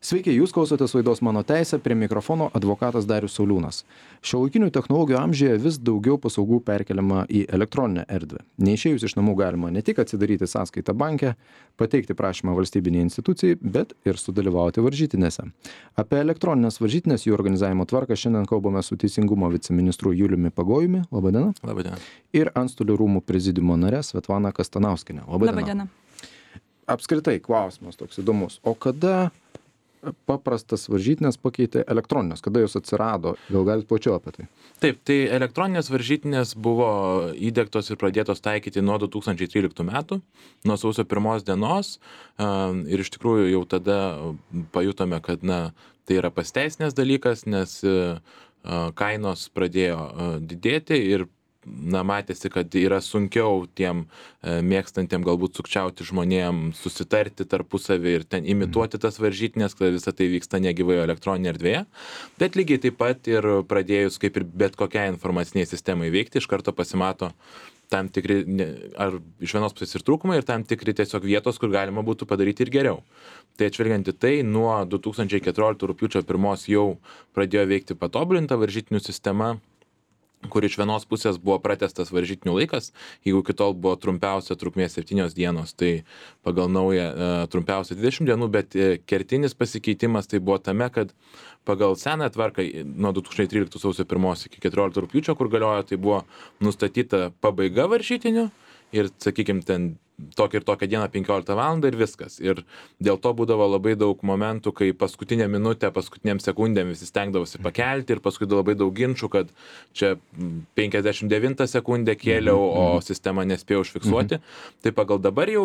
Sveiki, jūs klausotės laidos Mano teisė, prie mikrofono advokatas Darius Sauliūnas. Šiuolaikinių technologijų amžiuje vis daugiau paslaugų perkeliama į elektroninę erdvę. Neišėjus iš namų galima ne tik atsidaryti sąskaitą banke, pateikti prašymą valstybiniai institucijai, bet ir sudalyvauti varžytinėse. Apie elektroninės varžytinės jų organizavimo tvarką šiandien kalbame su Teisingumo viceministru Juliumi Pagojumi. Labadiena. Labadiena. Ir Antstolių rūmų prezidiumo narė Svetlana Kastanauskienė. Labadiena. Apskritai klausimas toks įdomus. O kada paprastas varžytinės pakeitė elektroninės, kada jos atsirado, gal galite plačiau apie tai? Taip, tai elektroninės varžytinės buvo įdiegtos ir pradėtos taikyti nuo 2013 metų, nuo sausio 1 dienos ir iš tikrųjų jau tada pajutome, kad tai yra pasiteisinęs dalykas, nes kainos pradėjo didėti ir matėsi, kad yra sunkiau tiem mėgstantiem galbūt sukčiauti žmonėm susitarti tarpusavį ir ten imituoti tas varžytinės, kad visą tai vyksta negyvai elektroninėje erdvėje. Bet lygiai taip pat ir pradėjus kaip ir bet kokiai informaciniai sistemai veikti, iš karto pasimato tam tikri, ar iš vienos pusės ir trūkumai, ir tam tikri tiesiog vietos, kur galima būtų padaryti ir geriau. Tai atžvelgiant į tai, nuo 2014 rugpjūčio 1 jau pradėjo veikti patobulinta varžytinių sistema, kur iš vienos pusės buvo pratęstas varžytinių laikas, jeigu iki tol buvo trumpiausia trukmė 7 dienos, tai pagal naują trumpiausia 20 dienų, bet kertinis pasikeitimas tai buvo tame, kad pagal seną tvarką nuo 2013 sausio 1 iki 14 rugpjūčio, kur galiojo, tai buvo nustatyta pabaiga varžytinių ir, sakykime, ten tokią ir tokią dieną 15 valandą ir viskas. Ir dėl to būdavo labai daug momentų, kai paskutinę minutę, paskutiniam sekundėm visi stengdavosi pakelti ir paskui labai daug ginčių, kad čia 59 sekundę kėliau, o sistema nespėjo užfiksuoti. Tai pagal dabar jau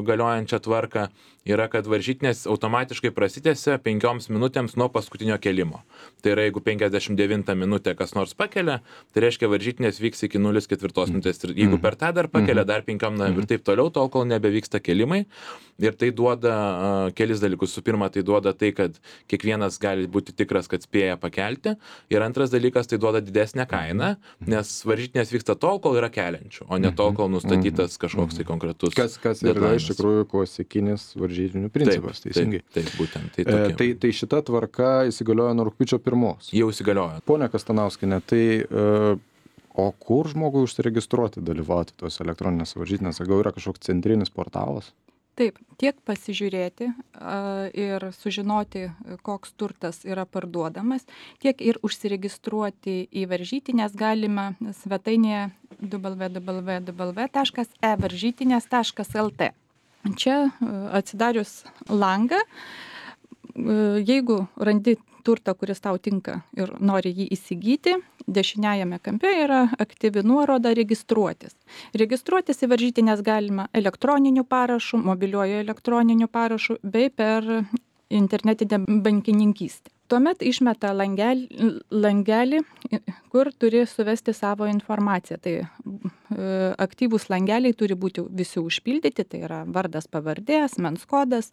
galiojančią tvarką yra, kad varžytinės automatiškai prasitęsia 5 minutėms nuo paskutinio kėlimo. Tai yra, jeigu 59 minutę kas nors pakelia, tai reiškia varžytinės vyks iki 0,4 minutės. Ir jeigu per tą dar pakelia, dar 5 ir taip toliau, tol kol nebevyksta kėlimai. Ir tai duoda kelis dalykus. Su pirma, tai duoda tai, kad kiekvienas gali būti tikras, kad spėja pakelti. Ir antras dalykas, tai duoda didesnę kainą, nes varžytinės vyksta tol, kol yra keliančių, o ne tol, kol nustatytas kažkoks tai konkretus. Kas yra iš tikrųjų klasikinis varžytinių principas, teisingai. Taip, būtent. Tai šita tvarka įsigaliojo nuo rugpjūčio 1. Jau įsigaliojo. Pone Kastanauskienė, tai o kur žmogui užsiregistruoti, dalyvauti tos elektroninės varžytinės? Gal yra kažkoks centrinis portalas? Taip, tiek pasižiūrėti ir sužinoti, koks turtas yra parduodamas, tiek ir užsiregistruoti į varžytinės galima svetainėje www.evaržytinės.lt. Čia atsidarius langą, jeigu randi turtą, kuris tau tinka ir nori jį įsigyti, dešiniajame kampe yra aktyvi nuoroda registruotis. Registruotis į varžytinės galima elektroniniu parašu, mobiliuoju elektroniniu parašu bei per internetinę bankininkystę. Tuomet išmeta langelį, kur turi suvesti savo informaciją. Tai aktyvūs langeliai turi būti visi užpildyti, tai yra vardas, pavardė, asmens kodas.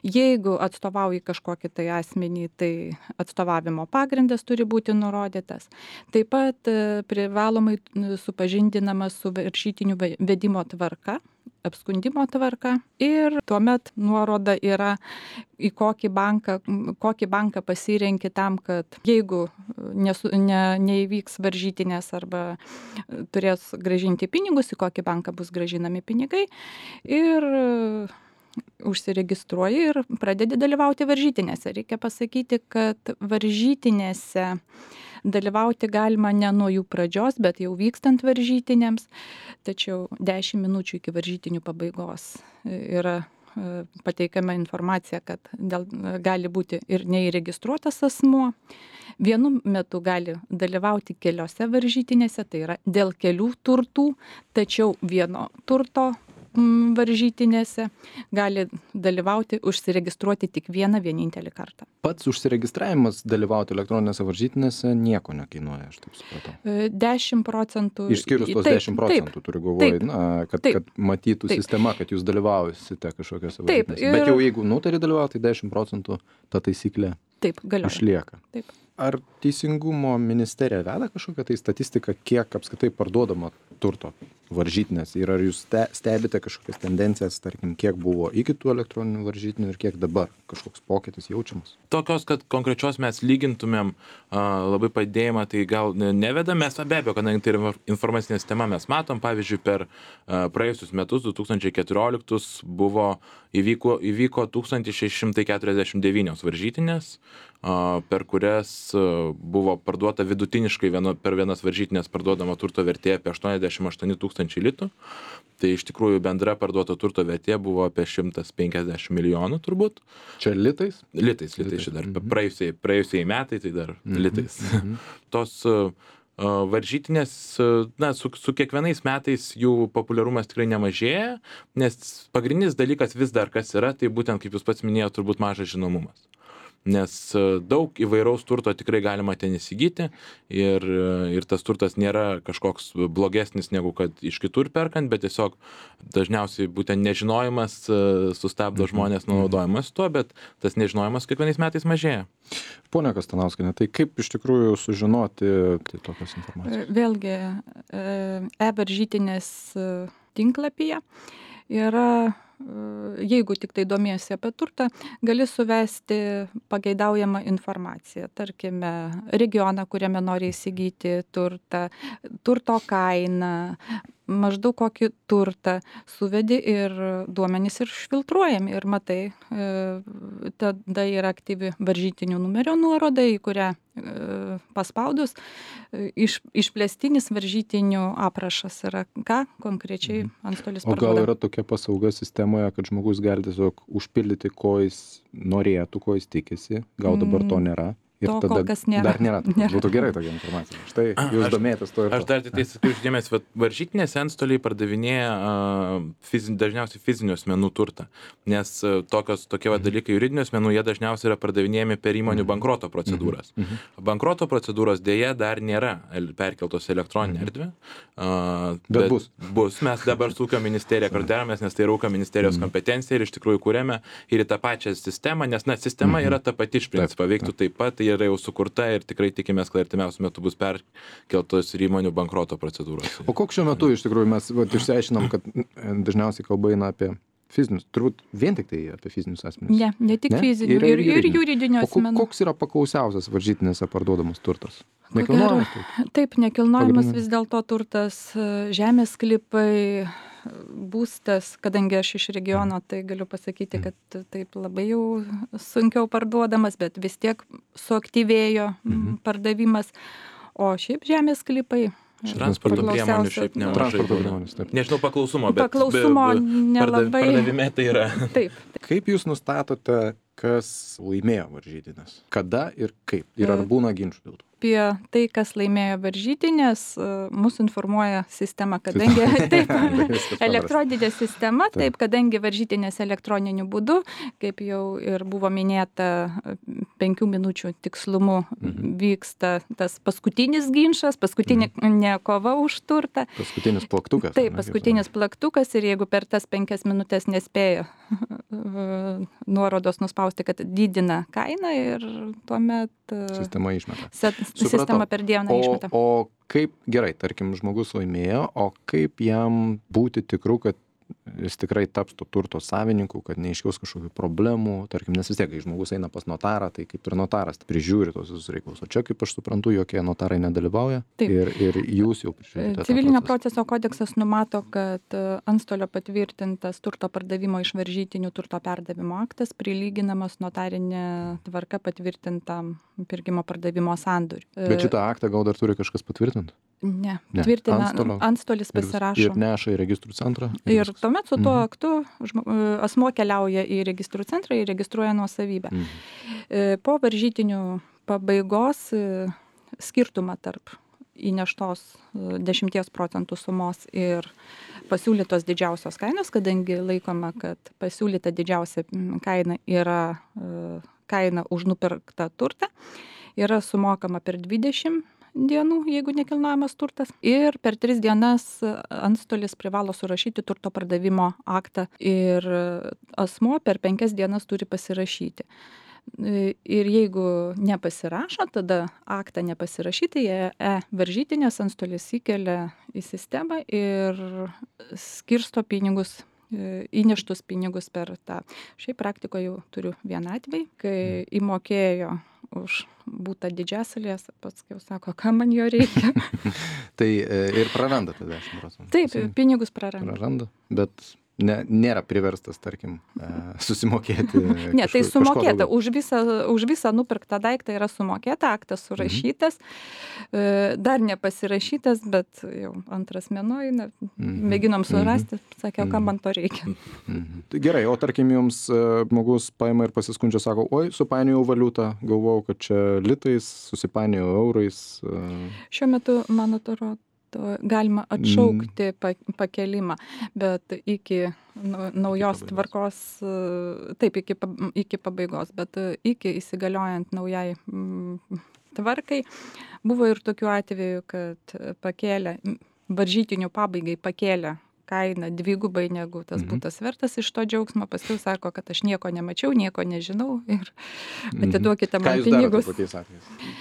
Jeigu atstovauji kažkokį tai asmenį, tai atstovavimo pagrindas turi būti nurodytas. Taip pat privalomai supažindinama su varžytinių vedimo tvarka, apskundimo tvarka ir tuomet nuoroda yra į kokį banką pasirenki tam, kad jeigu neįvyks varžytinės arba turės grąžinti pinigus, į kokį banką bus grąžinami pinigai ir užsiregistruoji ir pradedi dalyvauti varžytinėse. Reikia pasakyti, kad varžytinėse dalyvauti galima ne nuo jų pradžios, bet jau vykstant varžytinėms, tačiau 10 minučių iki varžytinių pabaigos yra pateikiama informacija, kad gali būti ir neįregistruotas asmuo. Vienu metu gali dalyvauti keliose varžytinėse, tai yra dėl kelių turtų, tačiau vieno turto varžytinėse gali dalyvauti, užsiregistruoti tik vienintelį kartą. Pats užsiregistravimas dalyvauti elektroninėse varžytinėse nieko nekainuoja, aš taip supratau. 10%. Išskyrus tos 10%, turiu galvoje, kad matytų sistema, kad jūs dalyvausite kažkokiose varžytinėse. Bet jau jeigu nutari dalyvauti, tai 10% ta taisyklė išlieka. Taip. Ar Teisingumo ministerija veda kažkokią tai statistiką, kiek apskritai parduodama turto varžytinės ir ar jūs stebite kažkokias tendencijas, tarkim, kiek buvo iki tų elektroninių varžytinių ir kiek dabar kažkoks pokytis jaučiamas? Tokios, kad konkrečios mes lygintumėm labai padėjimą, tai gal nevedam, mes be abejo, kadangi tai yra informacinė sistema, mes matom, pavyzdžiui, per praėjusius metus, 2014, įvyko 1649 varžytinės, per kurias buvo parduota vidutiniškai per vienas varžytinės parduodama turto vertė apie 88 000 litų. Tai iš tikrųjų bendra parduoto turto vertė buvo apie 150 milijonų turbūt. Čia litais? Litais čia dar praėjusiai metai, tai dar litais. Tos varžytinės, su kiekvienais metais jų populiarumas tikrai nemažėja, nes pagrindinis dalykas vis dar kas yra, tai būtent, kaip jūs pats minėjote, turbūt mažas žinomumas. Nes daug įvairaus turto tikrai galima ten įsigyti ir tas turtas nėra kažkoks blogesnis negu kad iš kitur perkant, bet tiesiog dažniausiai būtent nežinojimas sustabdo žmonės nuo naudojimas tuo, bet tas nežinojimas kiekvienais metais mažėja. Pone Kastanauskiene, tai kaip iš tikrųjų sužinoti tokios informacijos? Vėlgi, e-varžytinės tinklapyje yra, jeigu tik tai domiesi apie turtą, gali suvesti pageidaujamą informaciją. Tarkime, regioną, kuriame nori įsigyti turtą, turto kainą, maždaug kokį turtą suvedi ir duomenys išfiltruojami ir matai, tada yra aktyvi varžytinių numerio nuoroda, į kurią paspaudus išplėstinis varžytinių aprašas yra, ką konkrečiai antstolis parduoda. O gal yra tokia paslauga sistemoje, kad žmogus gali tiesiog užpildyti, ko jis norėtų, ko jis tikisi, gal dabar to nėra? Ir to tada kol kas nėra. Dar nėra. Būtų gerai tokia informacija. Štai jūs domėtės to ir to. Aš dar tai sakiau išdėmės, varžytinės antstoliai pardavinėja dažniausiai fizinių asmenų turtą, nes tokie dalykai juridinių asmenų, jie dažniausiai yra pardavinėjami per įmonių bankroto procedūras. Bankroto procedūros dėja dar nėra perkeltos elektroninę erdvę. Bet bus. Bus. Mes dabar su ūkio ministerija karderamės, nes tai yra ūkio ministerijos kompetencija ir iš tikrųjų kūrėme ir į tą pačią sistemą, nes sistema yra ta pati iš principo, veiktų taip pat. Yra jau sukurta ir tikrai tikimės, kad artimiausiu metu bus perkeltos ir įmonių bankroto procedūros. O koks šiuo metu iš tikrųjų mes išsiaiškinom, kad dažniausiai kalba eina apie fizinius, turbūt vien tik tai apie fizinius asmenis? Ne tik fizinių, ir juridinių asmenų. Koks yra paklausiausias varžytinėse parduodamas turtas? Nekilnojamas turtas? Taip, nekilnojamas vis dėlto turtas, žemės sklypai, būstas, kadangi aš iš regiono, tai galiu pasakyti, kad taip labai jau sunkiau parduodamas, bet vis tiek suaktyvėjo pardavimas, o šiaip žemės sklypai. Transporto priemonių šiaip nemažai. Nežinau paklausumo, bet pardavime tai yra. Taip. Kaip jūs nustatote, kas laimėjo varžytinės? Kada ir kaip? Ir ar būna ginčų dėl to? Apie tai, kas laimėjo varžytinės, mus informuoja sistema, kadangi taip, elektroninė sistema, taip, kadangi varžytinės elektroniniu būdu, kaip jau ir buvo minėta, 5 minučių tikslumu vyksta tas paskutinis ginčas, paskutinė kova už turtą. Paskutinis plaktukas. Taip, paskutinis plaktukas ir jeigu per tas 5 minutės nespėjo nuorodos nuspausti, kad didina kainą ir tuomet sistema išmeta. Sistema per dieną išmeta. O kaip, gerai, tarkim, žmogus laimėjo, o kaip jam būti tikru, kad jis tikrai taps to turto savininku, kad neiškils kažkokių problemų, tarkim, nes vis tiek, kai žmogus eina pas notarą, tai kaip ir notaras prižiūri tos visus reikalus. O čia, kaip aš suprantu, jokie notarai nedalyvauja ir jūs jau prižiūrite. Civilinio proceso kodeksas numato, kad antstolio patvirtintas turto pardavimo iš varžytinių turto perdavimo aktas prilyginamas notarinė tvarka patvirtintam pirkimo pardavimo sandoriui. Bet šitą aktą gal dar turi kažkas patvirtinti? Ne. Tvirtina antstolis pasirašo. Ir neša į registrų centrą. Ir tuomet su tuo aktu asmuo keliauja į registrų centrą ir registruoja nuosavybę. Po varžytinių pabaigos skirtumą tarp įneštos 10% sumos ir pasiūlytos didžiausios kainos, kadangi laikoma, kad pasiūlyta didžiausia kaina yra kaina už nupirktą turtą, yra sumokama per 20 dienų, jeigu nekilnojamas turtas, ir per 3 dienas antstolis privalo surašyti turto pardavimo aktą ir asmuo per 5 dienas turi pasirašyti. Ir jeigu nepasirašo, tada aktą nepasirašyti, varžytinės antstolis įkelia į sistemą ir skirsto pinigus, įneštus pinigus per tą. Šiaip praktikoje jau turiu vieną atvejį, kai įmokėjo už būtą Didžiasalės, paskui sako, kam man jo reikia. Tai ir praranda tada 10%. Taip, pinigus praranda. Praranda, bet nėra priverstas, tarkim, susimokėti. Ne, tai sumokėta. Už visą nupirktą daiktą yra sumokėta, aktas surašytas, dar nepasirašytas, bet jau antras mėnuo, mėginom surasti, sakiau, kam man to reikia. Gerai, o tarkim, jums žmogus paima ir pasiskundžia, sako, oi, supainiojau valiutą, galvojau, kad čia litais, susipainiojau eurais. Šiuo metu, man atrodo, galima atšaukti pakelimą, bet iki naujos tvarkos, taip, iki pabaigos, bet iki įsigaliojant naujai tvarkai, buvo ir tokių atvejų, kad pakėlė, varžytinių pabaigai pakėlė kainą dvigubai negu tas būtas vertas iš to džiaugsmo, paskui sako, kad aš nieko nemačiau, nieko nežinau ir atiduokite man pinigus.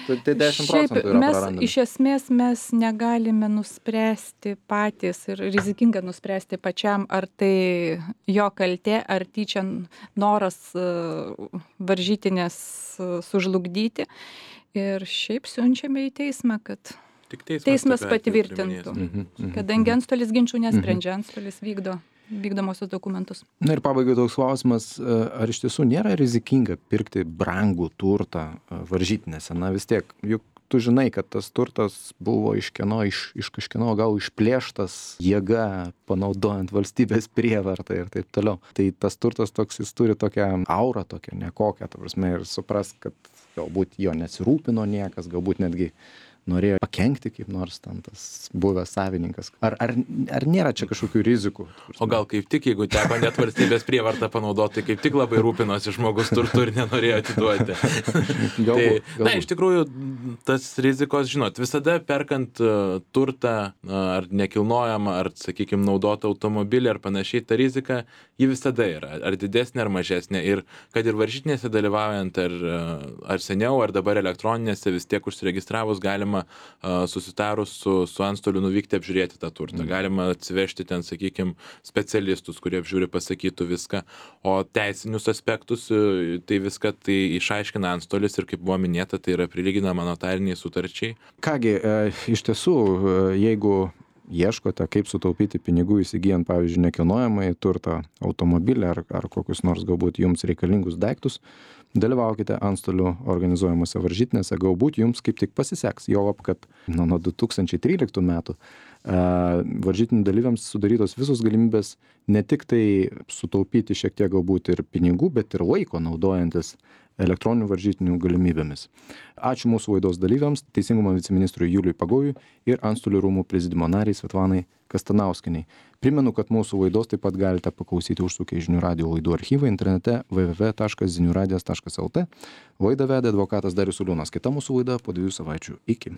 Tai 10% yra prarandami. Iš esmės mes negalime nuspręsti patys ir rizikinga nuspręsti pačiam, ar tai jo kaltė, ar tyčia noras varžytinės sužlugdyti. Ir šiaip siunčiame į teismą, kad teismas patvirtintų, kadangi antstolis ginčių nesprendžia, antstolis vykdomosios dokumentus. Na ir pabaigai toks klausimas, ar iš tiesų nėra rizikinga pirkti brangų turtą varžytinėse? Na vis tiek, juk tu žinai, kad tas turtas buvo iš kažkieno gal išplėštas jėga, panaudojant valstybės prievartą ir taip toliau. Tai tas turtas toks, jis turi tokią aurą, tokią nekokią, ta prasme, ir supras, kad galbūt jo nesirūpino niekas, galbūt netgi norėjo pakenkti kaip nors ten tas buvęs savininkas. Ar nėra čia kažkokių rizikų? O gal kaip tik, jeigu teko net valstybės prievartą panaudoti, kaip tik labai rūpinosi žmogus turtu ir nenorėjo atiduoti. Galbūt. Na, iš tikrųjų, tas rizikos, žinot, visada perkant turtą ar nekilnojamą, ar, sakykime, naudotą automobilį ar panašiai, ta rizika, ji visada yra, ar didesnė, ar mažesnė. Ir kad ir varžytinėse dalyvaujant, ar seniau, ar dabar elektroninėse, vis tiek užsiregistravus galima susitarus su antstoliu nuvykti apžiūrėti tą turtą. Galima atsivežti ten, sakykime, specialistus, kurie apžiūri, pasakytų viską. O teisinius aspektus, tai viską tai išaiškina antstolis ir, kaip buvo minėta, tai yra prilyginama notariniai sutarčiai. Kągi, iš tiesų, jeigu ieškote, kaip sutaupyti pinigų įsigijant, pavyzdžiui, nekilnojamąjį turtą, automobilį ar kokius nors galbūt jums reikalingus daiktus, dalyvaukite antstolių organizuojamose varžytinėse, galbūt jums kaip tik pasiseks, juolab, kad nuo 2013 metų varžytinių dalyviams sudarytos visos galimybės ne tik tai sutaupyti šiek tiek galbūt ir pinigų, bet ir laiko naudojantis elektroninių varžytinių galimybėmis. Ačiū mūsų laidos dalyviams, Teisingumo viceministrui Juliui Pagojui ir Antstolių rūmų prezidiumo nariai Svetlanai Kastanauskienei. Primenu, kad mūsų laidos taip pat galite paklausyti užsukę į Žinių radijo laidų archyvą internete www.ziniuradijas.lt. Laidą vedė advokatas Darius Sauliūnas. Kita mūsų laida po 2 savaičių. Iki.